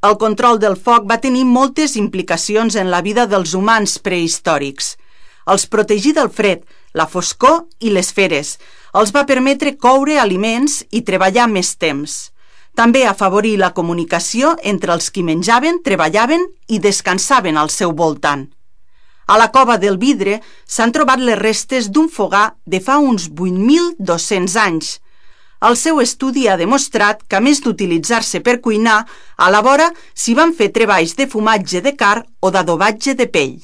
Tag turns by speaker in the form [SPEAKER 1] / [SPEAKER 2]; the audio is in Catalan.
[SPEAKER 1] El control del foc va tenir moltes implicacions en la vida dels humans prehistòrics. Els protegí del fred, la foscor i les feres. Els va permetre coure aliments i treballar més temps. També afavorí la comunicació entre els qui menjaven, treballaven i descansaven al seu voltant. A la cova del Vidre s'han trobat les restes d'un fogar de fa uns 8.200 anys. El seu estudi ha demostrat que, a més d'utilitzar-se per cuinar, a la vora s'hi van fer treballs de fumatge de carn o d'adobatge de pell.